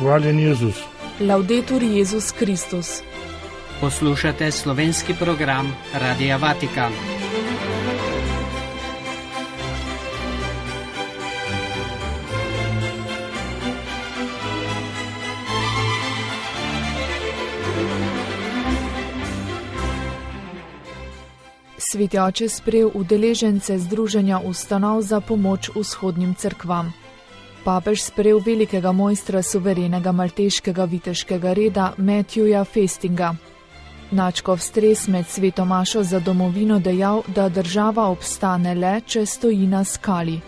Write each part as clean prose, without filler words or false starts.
Hvaljen Jezus. Laudetur Jezus Kristus. Poslušate slovenski program Radia Vatikan. Sveti oče sprejel udeležence Združenja ustanov za pomoč vzhodnim cerkvam. Papež sprejel velikega mojstra suverenega malteškega viteškega reda Matthewa Festinga. Nadškof Stres med sveto mašo za domovino dejal, da država obstane le, če stoji na skali.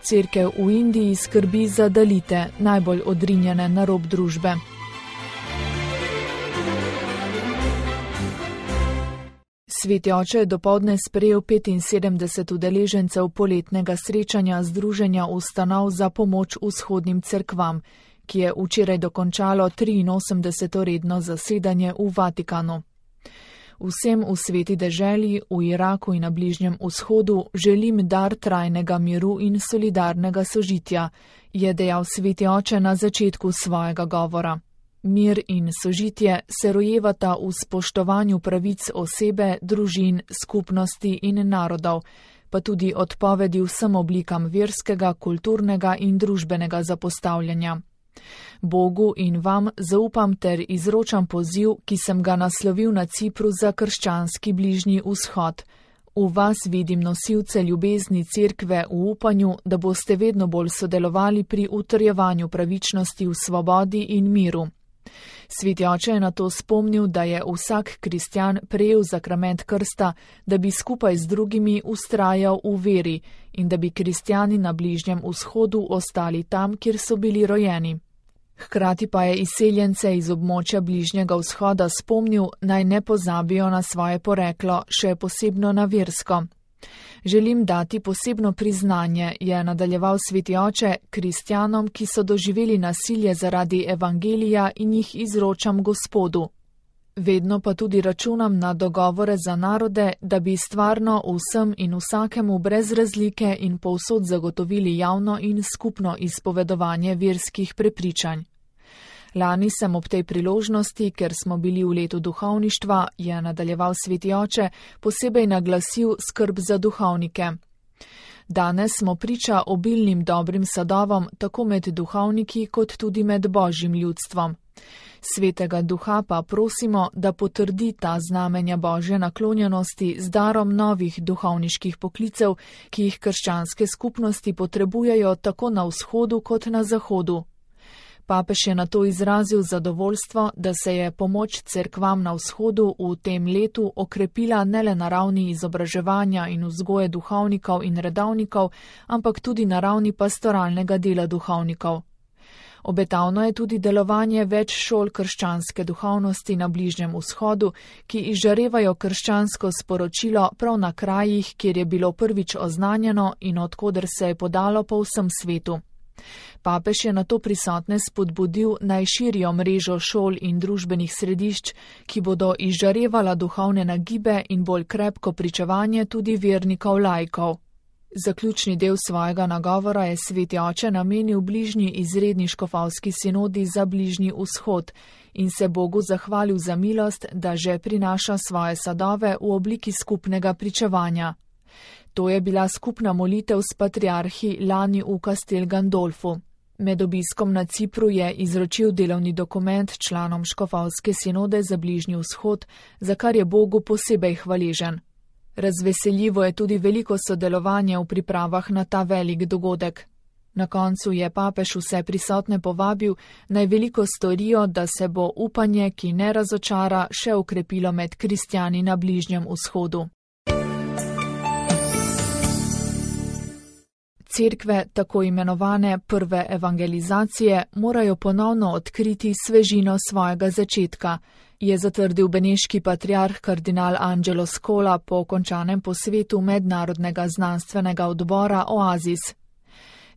Cerkev v Indiji skrbi za dalite, najbolj odrinjene na rob družbe. Sveti oče je dopoldne sprejel 75 udeležencev poletnega srečanja Združenja ustanov za pomoč vzhodnim cerkvam, ki je včeraj dokončalo 83. redno zasedanje v Vatikanu. Vsem v sveti deželi, v Iraku in na Bližnjem vzhodu želim dar trajnega miru in solidarnega sožitja, je dejal sveti oče na začetku svojega govora. Mir in sožitje se rojevata v spoštovanju pravic osebe, družin, skupnosti in narodov, pa tudi odpovedi vsem oblikam verskega, kulturnega in družbenega zapostavljanja. Bogu in vam zaupam ter izročam poziv, ki sem ga naslovil na Cipru za krščanski Bližnji vzhod. V vas vidim nosilce ljubezni cerkve v upanju, da boste vedno bolj sodelovali pri utrjevanju pravičnosti v svobodi in miru. Sveti oče je na to spomnil, da je vsak kristjan prejel zakrament krsta, da bi skupaj z drugimi vztrajal v veri in da bi kristjani na Bližnjem vzhodu ostali tam, kjer so bili rojeni. Hkrati pa je izseljence iz območja Bližnjega vzhoda spomnil, naj ne pozabijo na svoje poreklo, še posebno na versko. Želim dati posebno priznanje, je nadaljeval sveti oče, kristjanom, ki so doživeli nasilje zaradi evangelija in jih izročam Gospodu. Vedno pa tudi računam na dogovore za narode, da bi stvarno vsem in vsakemu brez razlike in povsod zagotovili javno in skupno izpovedovanje verskih prepričanj. Lani sem ob tej priložnosti, ker smo bili v letu duhovništva, je nadaljeval sveti oče, posebej naglasil skrb za duhovnike. Danes smo priča obilnim dobrim sadovom, tako med duhovniki kot tudi med božjim ljudstvom. Svetega duha pa prosimo, da potrdi ta znamenja božje naklonjenosti z darom novih duhovniških poklicev, ki jih krščanske skupnosti potrebujejo tako na vzhodu kot na zahodu. Papež je nato izrazil zadovoljstvo, da se je pomoč cerkvam na vzhodu v tem letu okrepila ne le na ravni izobraževanja in vzgoje duhovnikov in redovnikov, ampak tudi na ravni pastoralnega dela duhovnikov. Obetavno je tudi delovanje več šol krščanske duhovnosti na Bližnjem vzhodu, ki izžarevajo krščansko sporočilo prav na krajih, kjer je bilo prvič oznanjeno in odkoder se je podalo po vsem svetu. Papež je nato prisotne spodbudil naj širijo mrežo šol in družbenih središč, ki bodo izžarevala duhovne nagibe in bolj krepko pričevanje tudi vernikov laikov. Zaključni del svojega nagovora je sveti oče namenil bližnji izredni škofovski sinodi za Bližnji vzhod in se Bogu zahvalil za milost, da že prinaša svoje sadove v obliki skupnega pričevanja. To je bila skupna molitev s patriarhi lani v Castel Gandolfu. Med obiskom na Cipru je izročil delovni dokument članom škofovske sinode za Bližnji vzhod, za kar je Bogu posebej hvaležen. Razveseljivo je tudi veliko sodelovanje v pripravah na ta velik dogodek. Na koncu je papež vse prisotne povabil, naj veliko storijo, da se bo upanje, ki ne razočara, še okrepilo med kristjani na Bližnjem vzhodu. Cerkve, tako imenovane prve evangelizacije, morajo ponovno odkriti svežino svojega začetka, je zatrdil beneški patriarh kardinal Angelo Scola po končanem posvetu Mednarodnega znanstvenega odbora Oasis.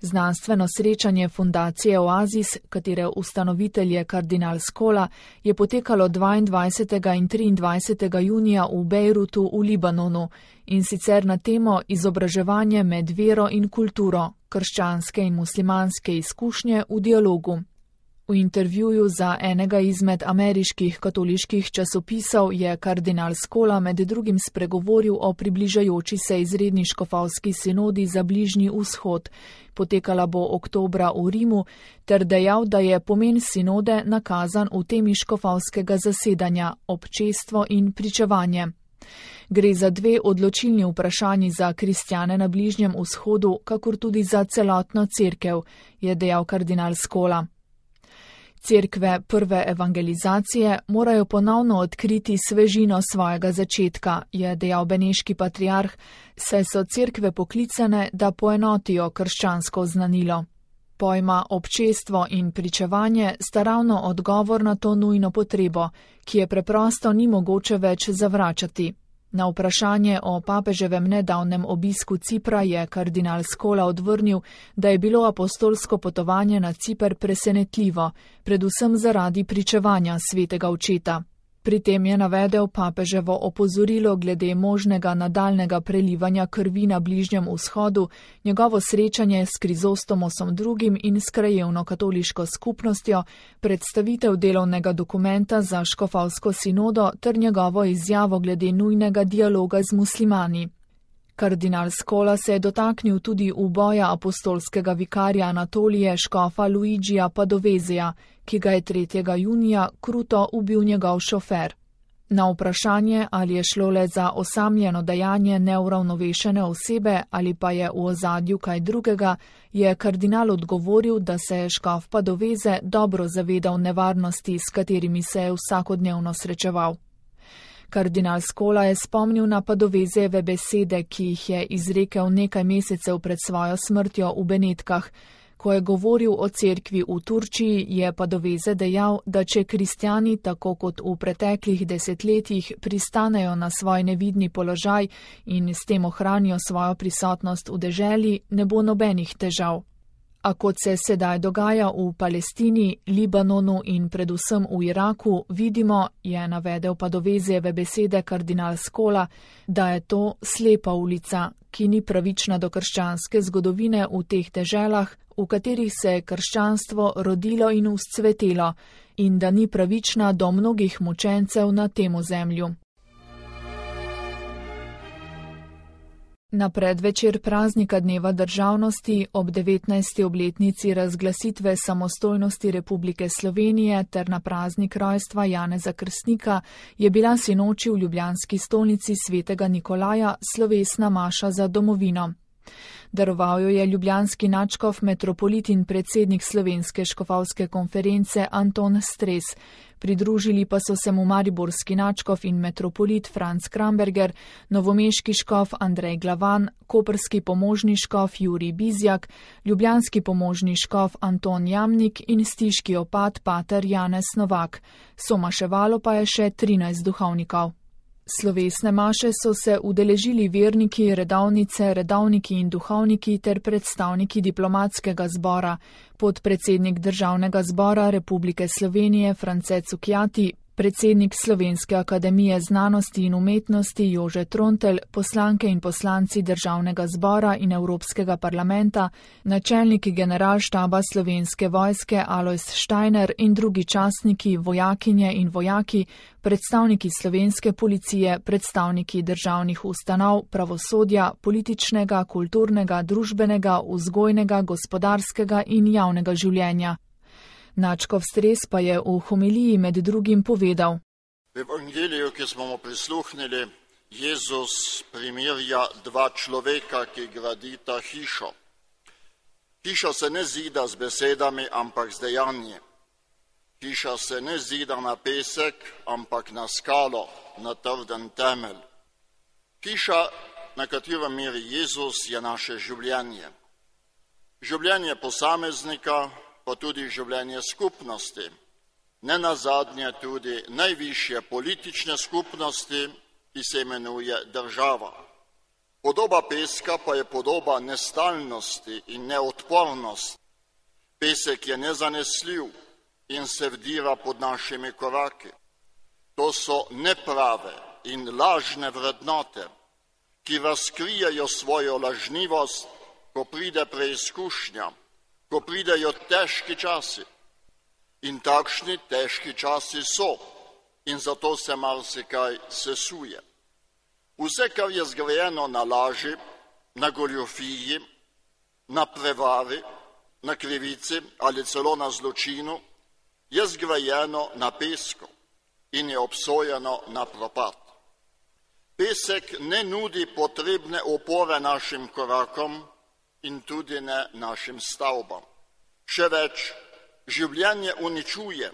Znanstveno srečanje fundacije Oasis, katere ustanovitelj je kardinal Scola, je potekalo 22. in 23. junija v Bejrutu v Libanonu, in sicer na temo izobraževanje med vero in kulturo, krščanske in muslimanske izkušnje v dialogu. V intervjuju za enega izmed ameriških katoliških časopisov je kardinal Scola med drugim spregovoril o približajoči se izredni škofovski sinodi za Bližnji vzhod, potekala bo oktobra v Rimu, ter dejal, da je pomen sinode nakazan v temi škofovskega zasedanja, občestvo in pričevanje. Gre za dve odločilni vprašanji za kristjane na Bližnjem vzhodu, kakor tudi za celotno cerkev, je dejal kardinal Scola. Cerkve prve evangelizacije morajo ponovno odkriti svežino svojega začetka, je dejal beneški patriarh, saj so cerkve poklicane, da poenotijo krščansko znanilo. Pojma občestvo in pričevanje sta ravno odgovor na to nujno potrebo, ki je preprosto ni mogoče več zavračati. Na vprašanje o papeževem nedavnem obisku Cipra je kardinal Scola odvrnil, da je bilo apostolsko potovanje na Ciper presenetljivo, predvsem zaradi pričevanja svetega očeta. Pri tem je navedel papeževo opozorilo glede možnega nadaljnega prelivanja krvi na Bližnjem vzhodu, njegovo srečanje s Krizostomosom II. In s krajevno katoliško skupnostjo, predstavitev delovnega dokumenta za škofovsko sinodo ter njegovo izjavo glede nujnega dialoga z muslimani. Kardinal Scola se je dotaknil tudi uboja apostolskega vikarja Anatolije škofa Luigija Padovezija, ki ga je 3. junija kruto ubil njegov šofer. Na vprašanje, ali je šlo le za osamljeno dejanje neuravnovešene osebe ali pa je v ozadju kaj drugega, je kardinal odgovoril, da se je škof Padoveze dobro zavedal nevarnosti, s katerimi se je vsakodnevno srečeval. Kardinal Scola je spomnil na Padovezejeve besede, ki jih je izrekel nekaj mesecev pred svojo smrtjo v Benetkah. Ko je govoril o cerkvi v Turčiji, je Padoveze dejal, da če kristjani, tako kot v preteklih desetletjih, pristanejo na svoj nevidni položaj in s tem ohranijo svojo prisotnost v deželi, ne bo nobenih težav. A kot se sedaj dogaja v Palestini, Libanonu in predvsem v Iraku, vidimo, je navedel Padovezejeve besede kardinal Scola, da je to slepa ulica, ki ni pravična do krščanske zgodovine v teh deželah, v katerih se je krščanstvo rodilo in vzcvetelo, in da ni pravična do mnogih mučencev na tem ozemlju. Na predvečer praznika Dneva državnosti ob 19. obletnici razglasitve samostojnosti Republike Slovenije ter na praznik rojstva Janeza Krstnika je bila sinoči v ljubljanski stolnici svetega Nikolaja slovesna maša za domovino. Daroval jo je ljubljanski nadškof metropolit in predsednik Slovenske škofovske konference Anton Stres. Pridružili pa so se mu mariborski nadškof in metropolit Franc Kramberger, novomeški škof Andrej Glavan, koprski pomožni škof Jurij Bizjak, ljubljanski pomožni škof Anton Jamnik in stiški opat pater Janez Novak. Somaševalo pa je še 13 duhovnikov. Slovesne maše so se udeležili verniki, redovnice, redovniki in duhovniki ter predstavniki diplomatskega zbora, podpredsednik Državnega zbora Republike Slovenije France Cukjati, predsednik Slovenske akademije znanosti in umetnosti Jože Trontelj, poslanke in poslanci Državnega zbora in Evropskega parlamenta, načelniki generalštaba Slovenske vojske Alojz Štajner in drugi častniki, vojakinje in vojaki, predstavniki slovenske policije, predstavniki državnih ustanov, pravosodja, političnega, kulturnega, družbenega, vzgojnega, gospodarskega in javnega življenja. Nadškof Stres pa je v homiliji med drugim povedal. V evangeliju, ki smo mu prisluhnili, Jezus primerja dva človeka, ki gradita hišo. Hiša se ne zida z besedami, ampak z dejanji. Hiša se ne zida na pesek, ampak na skalo, na trden temelj. Hiša, na katero meri Jezus, je naše življenje. Življenje posameznika, pa tudi življenje skupnosti, ne nazadnje tudi najvišje politične skupnosti, ki se imenuje država. Podoba peska pa je podoba nestalnosti in neodpornosti. Pesek je nezanesljiv in se vdira pod našimi koraki. To so neprave in lažne vrednote, ki razkrijejo svojo lažnivost, ko pride preizkušnja, ko pridejo težki časi. In takšni težki časi so in zato se marsikaj sesuje. Vse, kar je zgrajeno na laži, na goljofiji, na prevari, na krivici ali celo na zločinu, je zgrajeno na pesku in je obsojeno na propad. Pesek ne nudi potrebne opore našim korakom in tudi ne našim stavbam. Še več, življenje uničuje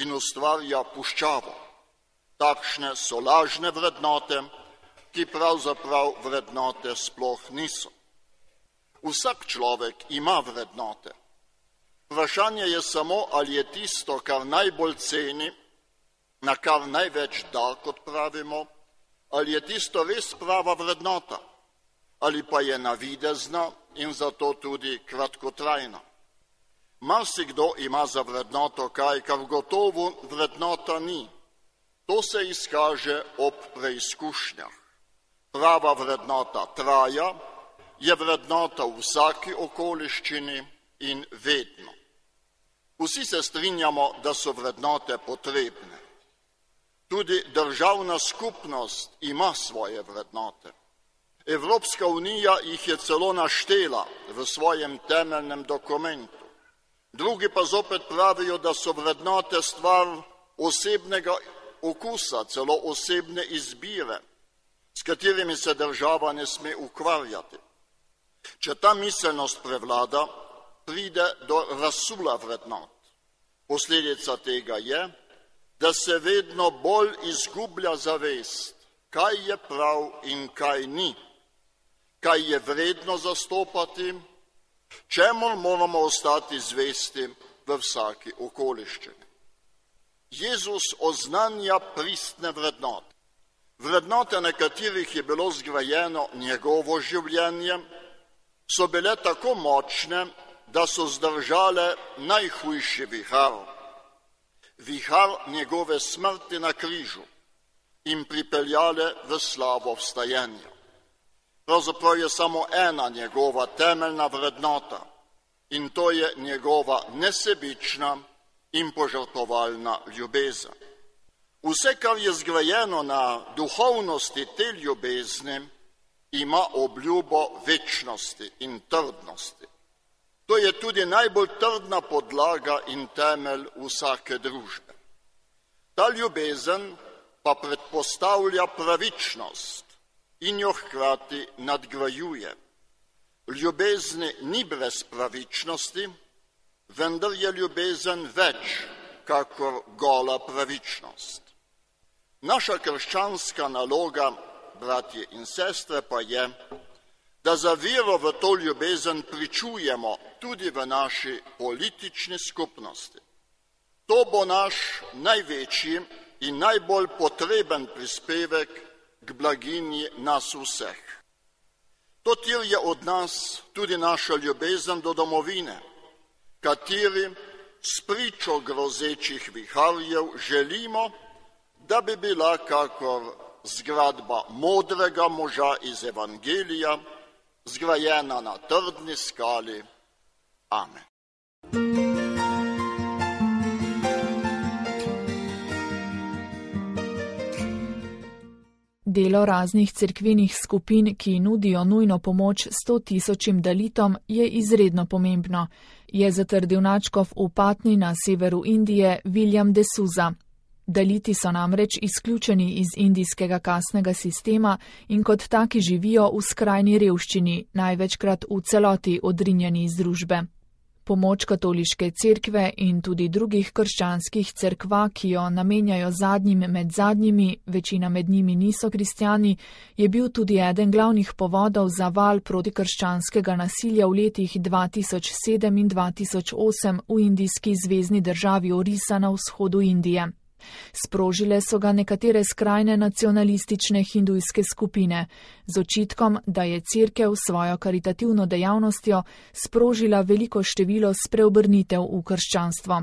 in ustvarja puščavo. Takšne so lažne vrednote, ki pravzaprav vrednote sploh niso. Vsak človek ima vrednote. Vprašanje je samo, ali je tisto, kar najbolj ceni, na kar največ da, kot pravimo, ali je tisto res prava vrednota, ali pa je navidezna in zato tudi kratkotrajna. Marsikdo ima za vrednoto kaj, kar gotovo vrednota ni. To se izkaže ob preizkušnjah. Prava vrednota traja, je vrednota v vsaki okoliščini in vedno. Vsi se strinjamo, da so vrednote potrebne. Tudi državna skupnost ima svoje vrednote. Evropska unija jih je celo naštela v svojem temeljnem dokumentu. Drugi pa zopet pravijo, da so vrednote stvar osebnega okusa, celo osebne izbire, s katerimi se država ne sme ukvarjati. Če ta miselnost prevlada, pride do razsula vrednot. Posledica tega je, da se vedno bolj izgublja zavest, kaj je prav in kaj ni, kaj je vredno zastopati, čemu moramo ostati zvesti v vsaki okoliščini. Jezus oznanja pristne vrednote. Vrednote, na katerih je bilo zgrajeno njegovo življenje, so bile tako močne, da so zdržale najhujši vihar. Vihar njegove smrti na križu in pripeljale v slavo vstajenja. Pravzaprav je samo ena njegova temeljna vrednota in to je njegova nesebična in požrtvovalna ljubezen. Vse, kar je zgrajeno na duhovnosti te ljubezni, ima obljubo večnosti in trdnosti. To je tudi najbolj trdna podlaga in temelj vsake družbe. Ta ljubezen pa predpostavlja pravičnost in jo hkrati nadgrajuje. V ljubezni ni brez pravičnosti, vendar je ljubezen več kakor gola pravičnost. Naša krščanska naloga, bratje in sestre, pa je, da za vero v to ljubezen pričujemo tudi v naši politični skupnosti. To bo naš največji in najbolj potreben prispevek k blaginji nas vseh. To terja od nas tudi naša ljubezen do domovine, kateri spričo grozečih viharjev želimo, da bi bila kakor zgradba modrega moža iz Evangelija, zgrajena na trdni skali. Amen. Delo raznih cerkvenih skupin, ki nudijo nujno pomoč 100.000 dalitom, je izredno pomembno, je zatrdil nadškof v Patni na severu Indije William de Souza. Daliti so namreč izključeni iz indijskega kastnega sistema in kot taki živijo v skrajni revščini, največkrat v celoti odrinjeni iz družbe. Pomoč katoliške cerkve in tudi drugih krščanskih cerkva, ki jo namenjajo zadnjim med zadnjimi, večina med njimi niso kristjani, je bil tudi eden glavnih povodov za val protikrščanskega nasilja v letih 2007 in 2008 v indijski zvezni državi Orisa na vzhodu Indije. Sprožile so ga nekatere skrajne nacionalistične hindujske skupine, z očitkom, da je cerkev svojo karitativno dejavnostjo sprožila veliko število spreobrnitev v krščanstvo.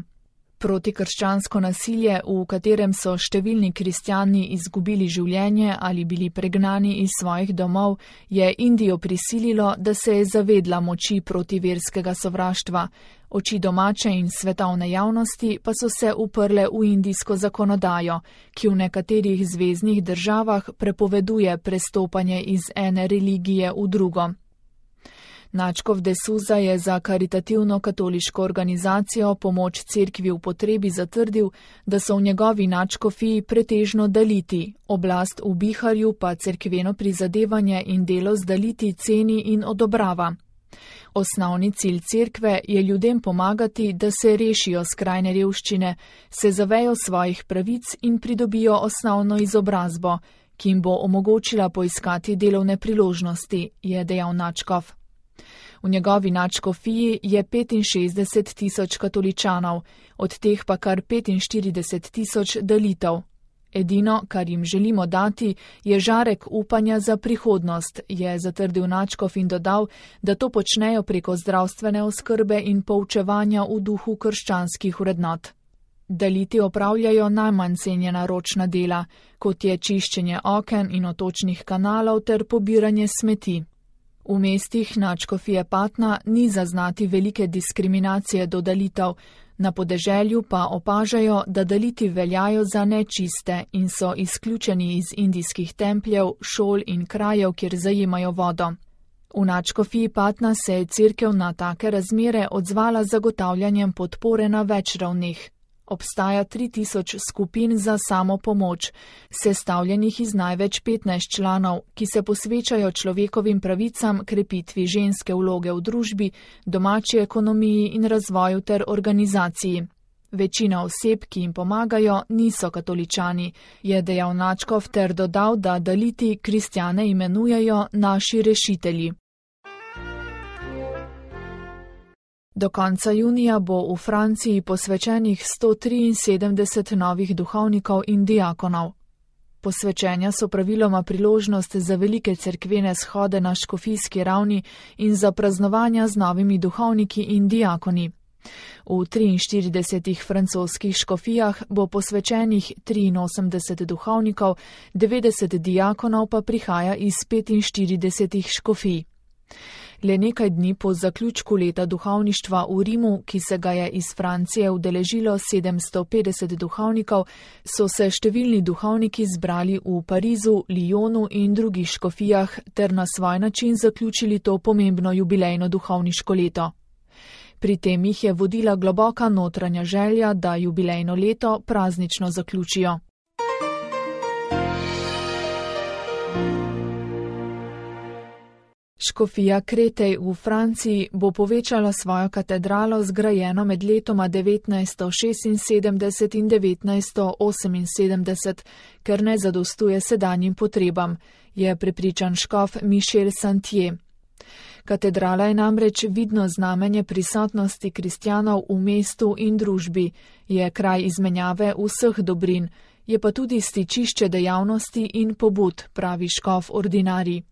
Protikrščansko nasilje, v katerem so številni kristjani izgubili življenje ali bili pregnani iz svojih domov, je Indijo prisililo, da se je zavedla moči protiverskega sovraštva. Oči domače in svetovne javnosti pa so se uprle v indijsko zakonodajo, ki v nekaterih zveznih državah prepoveduje prestopanje iz ene religije v drugo. Nadškof de Souza je za karitativno katoliško organizacijo Pomoč cerkvi v potrebi zatrdil, da so v njegovi nadškofiji pretežno daliti, oblast v Biharju pa cerkveno prizadevanje in delo z daliti ceni in odobrava. Osnovni cilj cerkve je ljudem pomagati, da se rešijo skrajne revščine, se zavejo svojih pravic in pridobijo osnovno izobrazbo, ki jim bo omogočila poiskati delovne priložnosti, je dejal nadškof. V njegovi nadškofiji je 65 tisoč katoličanov, od teh pa kar 45 tisoč dalitev. Edino, kar jim želimo dati, je žarek upanja za prihodnost, je zatrdil nadškof in dodal, da to počnejo preko zdravstvene oskrbe in poučevanja v duhu krščanskih vrednot. Daliti opravljajo najmanj cenjena ročna dela, kot je čiščenje oken in otočnih kanalov ter pobiranje smeti. V mestih nadškofije Patna ni zaznati velike diskriminacije do dalitev, na podeželju pa opažajo, da daliti veljajo za nečiste in so izključeni iz indijskih templjev, šol in krajev, kjer zajemajo vodo. V nadškofiji Patna se je cerkev na take razmere odzvala z zagotavljanjem podpore na več ravneh. Obstaja 3000 skupin za samopomoč, sestavljenih iz največ 15 članov, ki se posvečajo človekovim pravicam, krepitvi ženske vloge v družbi, domači ekonomiji in razvoju ter organizaciji. Večina oseb, ki jim pomagajo, niso katoličani, je dejal nadškof ter dodal, da daliti kristjane imenujejo naši rešitelji. Do konca junija bo v Franciji posvečenih 173 novih duhovnikov in diakonov. Posvečenja so praviloma priložnost za velike cerkvene shode na škofijski ravni in za praznovanja z novimi duhovniki in diakoni. V 43 francoskih škofijah bo posvečenih 83 duhovnikov, 90 diakonov pa prihaja iz 45 škofij. Le nekaj dni po zaključku leta duhovništva v Rimu, ki se ga je iz Francije udeležilo 750 duhovnikov, so se številni duhovniki zbrali v Parizu, Lyonu in drugih škofijah ter na svoj način zaključili to pomembno jubilejno duhovniško leto. Pri tem jih je vodila globoka notranja želja, da jubilejno leto praznično zaključijo. Škofija Kretej v Franciji bo povečala svojo katedralo, zgrajeno med letoma 1976 in 1978, ker ne zadostuje sedanjim potrebam, je prepričan škof Michel Santier. Katedrala je namreč vidno znamenje prisotnosti kristjanov v mestu in družbi, je kraj izmenjave vseh dobrin, je pa tudi stičišče dejavnosti in pobud, pravi škof ordinarij.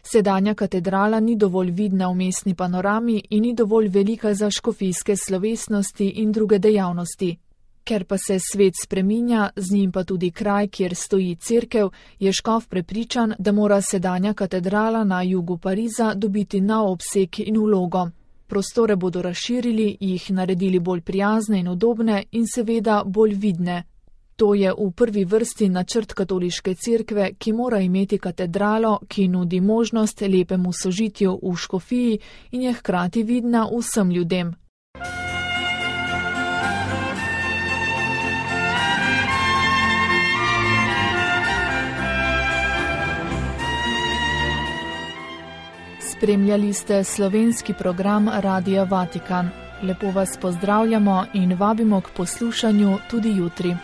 Sedanja katedrala ni dovolj vidna v mestni panorami in ni dovolj velika za škofijske slovesnosti in druge dejavnosti. Ker pa se svet spreminja, z njim pa tudi kraj, kjer stoji cerkev, je škof prepričan, da mora sedanja katedrala na jugu Pariza dobiti nov obseg in vlogo. Prostore bodo razširili, jih naredili bolj prijazne in udobne in seveda bolj vidne. To je v prvi vrsti načrt katoliške cerkve, ki mora imeti katedralo, ki nudi možnost lepemu sožitju v škofiji in je hkrati vidna vsem ljudem. Spremljali ste slovenski program Radia Vatikan. Lepo vas pozdravljamo in vabimo k poslušanju tudi jutri.